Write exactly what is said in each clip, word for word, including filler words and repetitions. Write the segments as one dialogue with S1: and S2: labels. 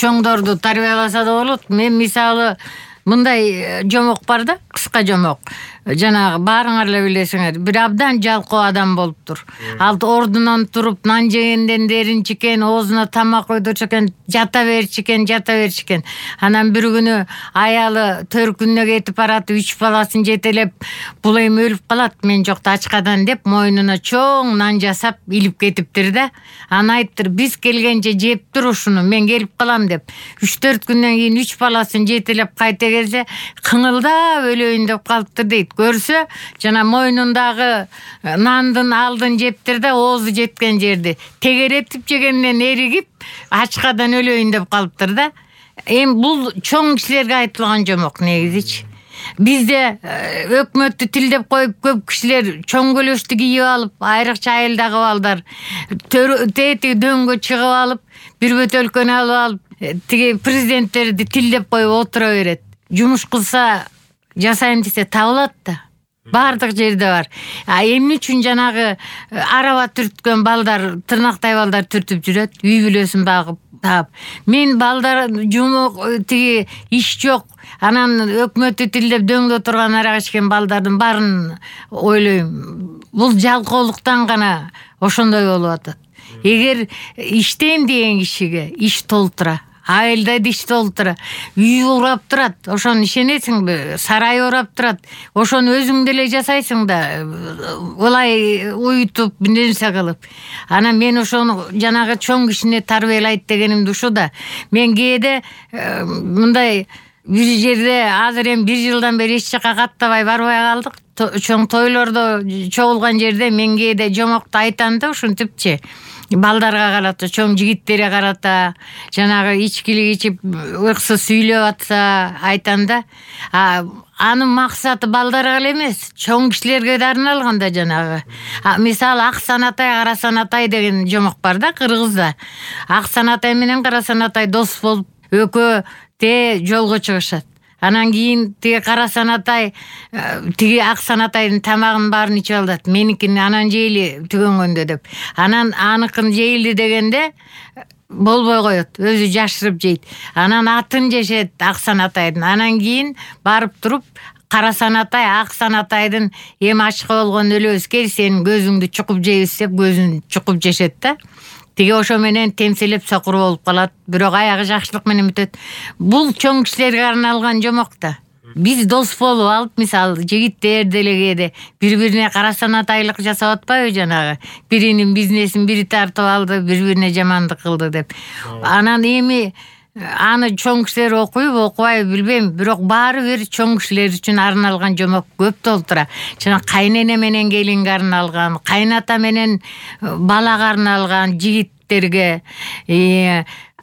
S1: чоңдорду тарбияласа да болот. Мен мисалы мындай жомок бар да, кыска жомок. Жанагы баарыңар эле билесиңер, бир абдан жалкоо адам болуптур. Ал ордунан туруп нан жегенден дерин чекен, оозуна тамак койдурчу экен, жата берчү экен, жата берчү экен. Анан бир күнү аялы төркүнүнө кетип барат, үч баласын жетелеп, бул эми өлүп калат, мен жокто ачкадан деп мойнуна чоң нан жасап илип кетиптир да. Аны айтыптыр, биз келгенче жептир ушуну, мен келип калам деп. үч төрт күндөн кийин үч баласын жетелеп кайта келсе, кыңылдап өлөйүн деп калыптыр дейт. Көрсө, жана мойнундагы нандын алдын жептир да, оозу жеткен жерди тегеретип жегенден эригип, ачкадан өлөйүн деп калыптыр да. Эми бул чоң кишилерге айтылган жомок негизичи. Бизде өкмөттү тилдеп коюп, көп кишилер чоң көлөштү кийип алып, айрыкча айылдагы балдар тети дөңгө чыгып алып, бир бөтөлкөнү алып алып, тиги президенттерди тилдеп коюп отура берет. Жумуш кылса жасайм десе табылат да. Бардык жерде бар. А эмне үчүн жанагы араба түрткөн балдар, тырнактай балдар түртүп жүрөт, үй бүлөсүн багып таап. Мен балдар жумок тиги иш жок. Анан өкмөттү тилдеп дөңдө турган арак ичкен балдардын баарын ойлойм. Бул жалкоолуктан гана ошондой болуп атат. Эгер иштейм деген кишиге иш толтура, айылда иш толтура, үй урап турат, ошону ишенесиңби? Сарай урап турат, ошону өзүң деле жасайсың да, улай уютуп, нерсе кылып. Анан мен ошону жанагы чоң кишини тарбиялайт дегенимди ушу да. Мен кээде мындай бир жерде азыр эми бир жылдан бери эч жака каттабай барбай калдык. Чоң тойлордо чогулган жерде мен кээде жомокту айтам да, ушинтипчи. Балдарга карата, чоң жигиттерге карата, жанагы ичкилик ичип, ыксыз сүйлөп атса айтам да. Анын максаты балдарга эле эмес, чоң кишилерге да арналган да жанагы. Мисалы Аксанатай, Карасанатай деген жомок бар да Кыргызда. Аксанатай менен Карасанатай дос болуп, экөө те жолго чыгышат. Анан кийин тиги Карасанатай тиги Аксанатайдын тамагын баарын ичип алат. Меникин анан жейли түгөнгөндө деп. Анан аныкын жейли дегенде болбой коет, өзү жашырып жейт. Анан атын жешет Аксанатайдын. Анан кийин барып туруп Карасанатай Аксанатайдын эми ачка болгон өлөбүз, кел сенин көзүңдү чукуп жейбиз деп көзүн чукуп жешет да. Тиги ошо менен темселеп сокур болуп калат, бирок аягы жакшылык менен бүтөт. Бул чоң кишилерге арналган жомок да. Биз дос болуп алып, мисалы жигиттер деле кээде бири-бирине Карасанатайлык жасап атпайбы жанагы? Биринин бизнесин бири тартып алды, бири-бирине жамандык кылды деп. Анан эми аны чоң кишилер окуйбу, окубайбы билбейм, бирок баары бир чоң кишилер үчүн арналган жомок көп толтура. Жана кайнене менен келинге арналган, кайната менен балага арналган, жигиттерге,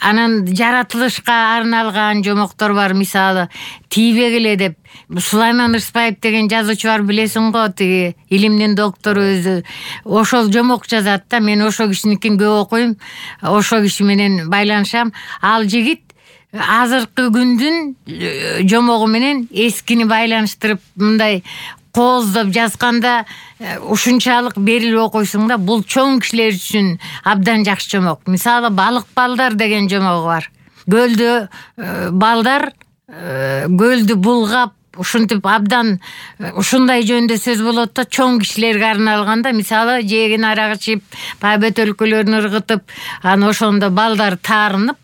S1: анан жаратылышка арналган жомоктор бар. Мисалы тийбек эле деп Сулайман Рыспаев деген жазуучу бар, билесиң го, тиги илимдин доктору өзү. Ошол жомок жазат да, мен ошо кишиникин көп окуйм, ошо киши менен байланышам. Ал жигит азыркы күндүн жомогу менен эскини байланыштырып мындай кооздоп жазганда ушунчалык берилип окуйсуң да. Бул чоң кишилер үчүн абдан жакшы жомок. Мисалы балык балдар деген жомогу бар. Көлдө балдар көлдү булгап, ушинтип абдан ушундай жөндө сөз болот да, чоң кишилерге арналган да. Мисалы жегин арак ичип, баягы бөтөлкөлөрүн ыргытып, анан ошондо балдар таарынып,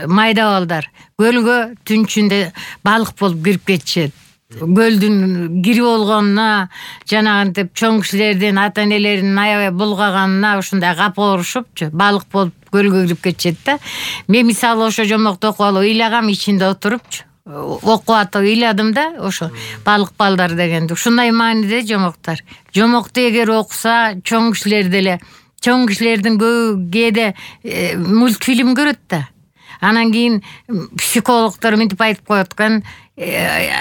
S1: майда балдар көлгө түнчүндө балык болуп кирип кетишет. Көлдүн кирип болгонуна, жанагынтип чоң кишилердин ата энелеринин аябай булгаганына ушундай капа урушупчу, балык болуп көлгө кирип кетишет да. Мен мисалы ошо жомокту окуп алып ыйлагам, ичинде отурупчу. Окуп атып ыйладым да, ошо балык балдар дегенди. Ушундай мааниде жомоктор. Жомокту эгер окуса, чоң кишилер деле, чоң кишилердин көбү кээде мультфильм көрөт да. Анан кийин психологдор мынтип айтып коет экен,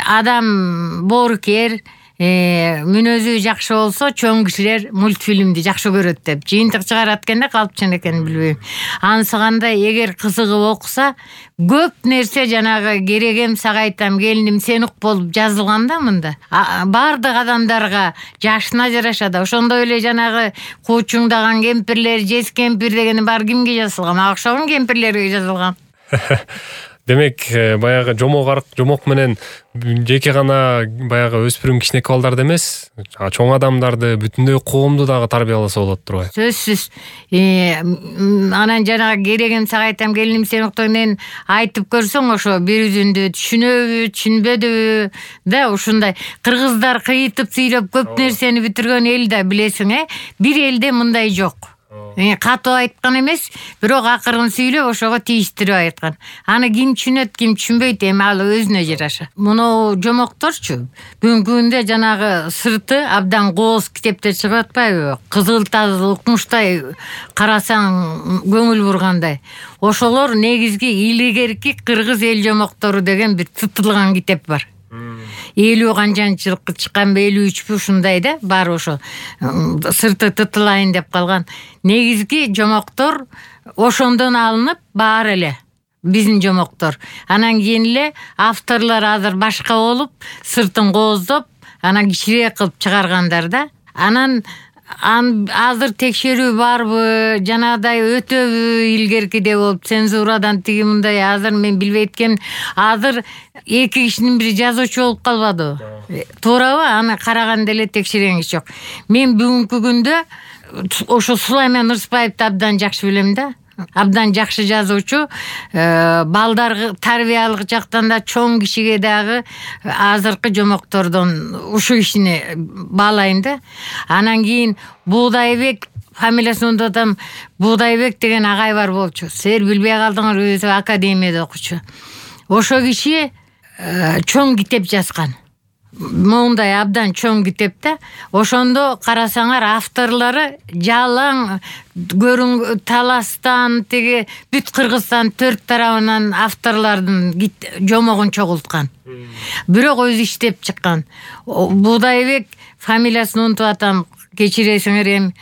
S1: адам боорукер, мүнөзү жакшы болсо, чоң кишилер мультфильмди жакшы көрөт деп. Жыйынтык чыгарат экен да, калпчан экен билбейм. Анысы кандай, эгер кызыгып окуса, көп нерсе жанагы керегем сага айтам, келиним сен ук болуп жазылган да мында. Бардык адамдарга жашына жараша да. Ошондой эле жанагы куучуңдаган кемпирлер, жес кемпир дегени бар кимге жазылган? Мага окшогон кемпирлерге жазылган.
S2: Демек, баягы жомок арк, жомок менен жеке гана баягы өспүрүм кичинекей балдарды эмес, чоң адамдарды, бүтүндөй коомду дагы тарбияласа болот турбайбы?
S1: Сөзсүз. Анан жанагы керегим сага айтам, келиним сен октогенен айтып көрсөң, ошо бир үзүндү түшүнөбү, түшүнбөдүбү да ушундай. Кыргыздар кыйытып сүйлөп көп нерсени бүтүргөн эл да билесиң, э? Бир элде мындай жок. Катуу айткан эмес, бирок акырын сүйлөп ошого тийиштирип айткан. Аны ким түшүнөт, ким түшүнбөйт, эми ал өзүнө жараша. Муну жомокторчу бүгүнкү күндө жанагы сырты абдан кооз китептер чыгып атпайбы? Кызыл тазыл укмуштай карасаң көңүл бургандай. Ошолор негизги илгерки кыргыз эл жомоктору деген бир тытылган китеп бар. элүү канчанчы жылкы чыкканбы, элүү үчпү ушундай да, бар ошо. Сырты тытылайын деп калган. Негизги жомоктор ошондон алынып баары эле. Биздин жомоктор. Анан кийин эле авторлор азыр башка болуп, сыртын кооздоп, анан кичирээк кылып чыгаргандар да. Анан азыр текшерүү барбы, жанагыдай өтөбү илгеркиде болуп, цензурадан тиги мындай, азыр мен билбей эткем, азыр эки кишинин бири жазуучу болуп калбадыбы? Туурабы? Аны караганда эле текшерген киши жок. Мен бүгүнкү күндө ошо Сулайман Ырысбаевди абдан жакшы билем да. Абдан жакшы жазуучу, балдар тарбиялык жактан да чоң кишиге дагы азыркы жомоктордон ушу кишини баалайм да. Анан кийин Буудайбек, фамилиясын унутам, Буудайбек деген агай бар болчу. Силер билбей калдыңар, өзү академияда окучу. Ошо киши чоң китеп жазган. Мондай абдан чоң китеп да. Ошондо карасаңар авторлору жалаң көрүн таластан тиги бүт Кыргызстан төрт тарабынан авторлордун жомогун чогулткан. Бирок өзү иштеп чыккан. Буудайбек, фамилиясын унутуп атам, кечиресиңер эми.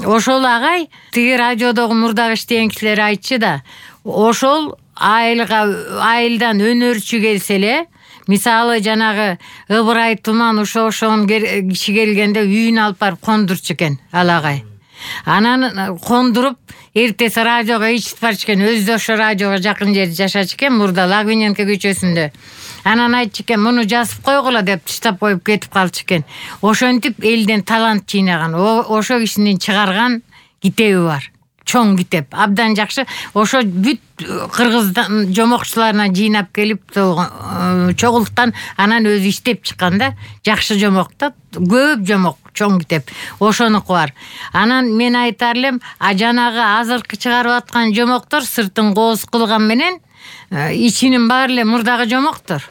S1: Ошол агай тиги радиодогу мурдагы иштеген кишилер айтчу да, ошол айылга айылдан өнөрчү келсе эле, мисалы жанагы Ыбырай Туман ошо ошон киши келгенде үйүн алып барып кондурчу экен ал агай. Анан кондуруп эртеси радиого ичип барчу экен. Өзү ошо радиого жакын жерде жашачу экен, мурда Лагвиненко көчөсүндө. Анан айтчу экен, муну жазып койгула деп таштап коюп кетип калчу экен. Ошентип элден талант жыйнаган. Ошо кишинин чыгарган китеби бар. Чоң китеп, абдан жакшы. Ошо бүт Кыргыздан жомокчуларына жыйнап келип чогулткан, анан өзү иштеп чыккан да. Жакшы жомок да, көп жомок, чоң китеп. Ошонуку бар. Анан мен айтар элем, а жанагы азыркы чыгарып аткан жомоктор сыртын кооз кылган менен ичинин баары эле мурдагы жомоктор.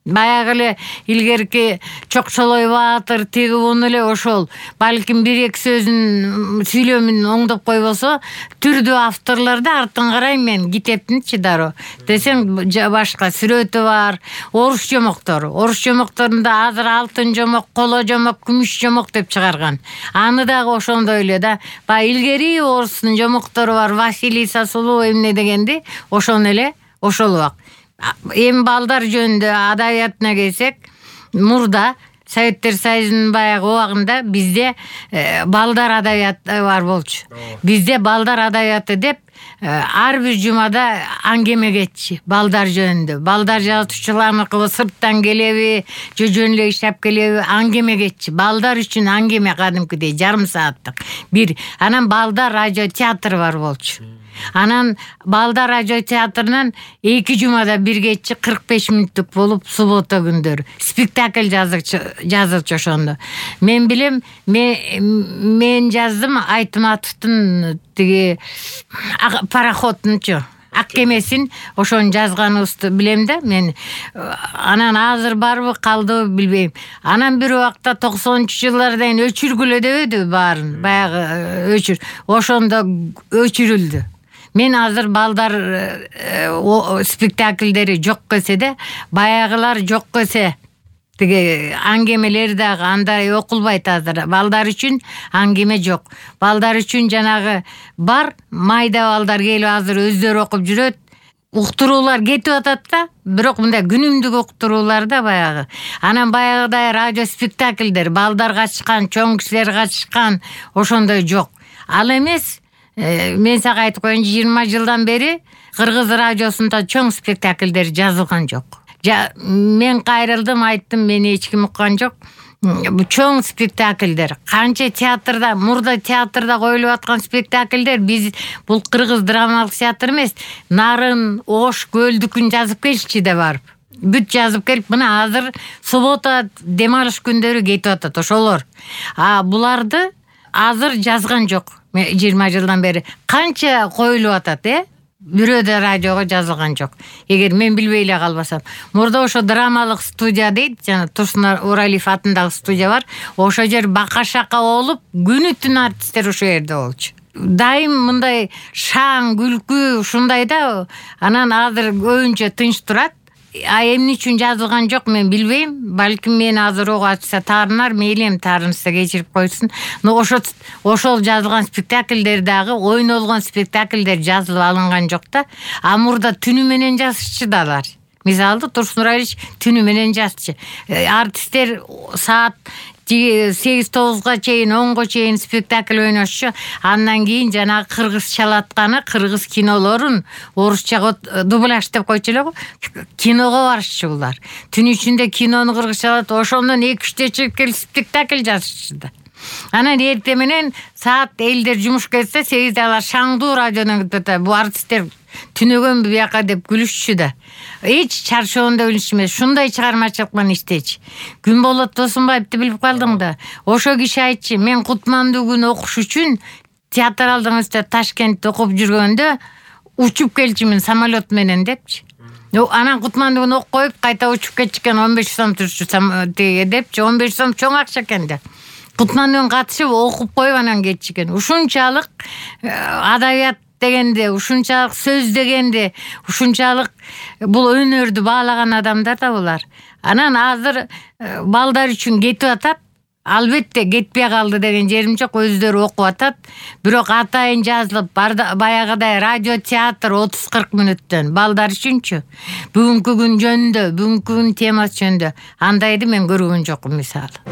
S1: Баягы эле илгерки Чокчолой Баатыр тиги уну эле ошол балким бир эки сөзүн сүйлөмүн оңдоп койбосо, түрдүү авторлор да артын карайм мен китептинчи дароо. Десең башка сүрөтү бар, орус жомоктору. Орус жомокторунда азыр алтын жомок, коло жомок, күмүш жомок деп чыгарган. Аны дагы ошондой эле да. Баягы илгери орустун жомоктору бар, Василиса Сулуу эмне дегенди, ошону эле ошолубак. Эми балдар жөнүндө адабиятына келсек, мурда Советтер Союзунун баягы убагында бизде балдар адабияты бар болчу. Бизде балдар адабияты деп ар бир жумада аңгеме кетчи балдар жөнүндө. Балдар жазуучуларыныкы сырттан келеби, жөн эле иштеп келеби, аңгеме кетчи. Балдар үчүн аңгеме кадимкидей жарым сааттык. Бир, анан балдар радио театры бар болчу. Анан балдар радио театрынан эки жумада бир кетчи кырк беш мүнөттүк болуп суббота күндөрү спектакль жазычу жазылчу ошондо. Мен билем, мен жаздым Айтматовдун тиги пароходунчу ак кемесин, ошону жазганыбызды билем да мен. Анан азыр барбы калдыбы билбейм. Анан бир убакта токсонунчу жылдардан өчүргүлө дебеди баарын, баягы өчүр. Ошондо өчүрүлдү. Мен азыр балдар спектакльдери жок кесе де, баягылар жок кесе, тиги аңгемелер дагы андай окулбайт азыр. Балдар үчүн аңгеме жок. Балдар үчүн жанагы бар, майда балдар келип азыр өздөрү окуп жүрөт. Уктуруулар кетип атат да, бирок мындай күнүмдүк уктуруулар да баягы. Анан баягыдай радио спектакльдер, балдар катышкан, чоң кишилер катышкан, ошондой жок. Ал эмес, мен сага айтып коеюн, жыйырма жылдан бери Кыргыз радиосунда чоң спектакльдер жазылган жок. Мен кайрылдым, айттым, мени эч ким уккан жок. Чоң спектакльдер, канча театрда, мурда театрда коюлуп аткан спектакльдер, биз бул Кыргыз драмалык театр эмес, Нарын, Ош, Көлдүкүн жазып келчи деп барып. Бүт жазып келип, мына азыр суббота дем алыш күндөрү кетип атат ошолор. А буларды азыр жазган жок. жыйырма жылдан бери канча коюлуп атат, э? Бирөө да радиого жазылган жок. Эгер мен билбей эле калбасам. Мурда ошо драмалык студия дейт, жана Турсун Уралиев атындагы студия бар. Ошо жер бака-шака болуп, күнү түн артисттер ошо жерде болчу. Дайым мындай шаң, күлкү ушундай да, анан азыр көбүнчө тынч турат. А эмне үчүн жазылган жок мен билбейм. Балким мен азыр ого ачса таарынар, мейли эми таарынса кечирип койсун. Но ошо ошол жазылган спектакльдер дагы, ойнолгон спектакльдер жазылып алынган жок да. А мурда түнү менен жазышчы да алар. Мисалы Турсун Уралиевич түнү менен жазчы. Артисттер саат сегиз тогузга чейин, онго чейин спектакль ойношчу. Андан кийин жанагы кыргыз чалатканы, кыргыз кинолорун орусчага дубляж деп койчу эле го. Киного барышчу булар. Түн ичинде кинону кыргызчалат, ошондон эки үчтө чыгып келип спектакль жазышчу да. Анан эртең менен саат элдер жумушка кетсе, сегизде алар шаңдуу радиодон кетет. Бу артисттер түнөгөн бияка деп күлүшчү да. Эч чарчоонда өлүш эмес, ушундай чыгармачылык менен иштечи. Күнболот Досунбаевди билип калдың да. Ошо киши айтчы, мен Кутмандуу күн окуш үчүн театралдык университет Ташкентте окуп жүргөндө учуп келчимин самолет менен депчи. Анан Кутмандуу күн окуп коюп, кайта учуп кетчикен он беш сом турчу теге депчи. он беш сом чоң акча экен да. Кутмандуу катышып окуп коюп анан кетчикен. Ушунчалык адабият дегенде, ушунчалык сөз дегенде, ушунчалык бул өнөрдү баалаган адамдар да булар. Анан азыр балдар үчүн кетип атат. Албетте кетпей калды деген жерим жок, өздөрү окуп атат. Бирок атайын жазылып, баягыдай радио театр отуз кырк мүнөттөн балдар үчүнчү. Бүгүнкү күн жөнүндө, бүгүнкү күн темасы жөнүндө андайды мен көргөн жокмун мисалы.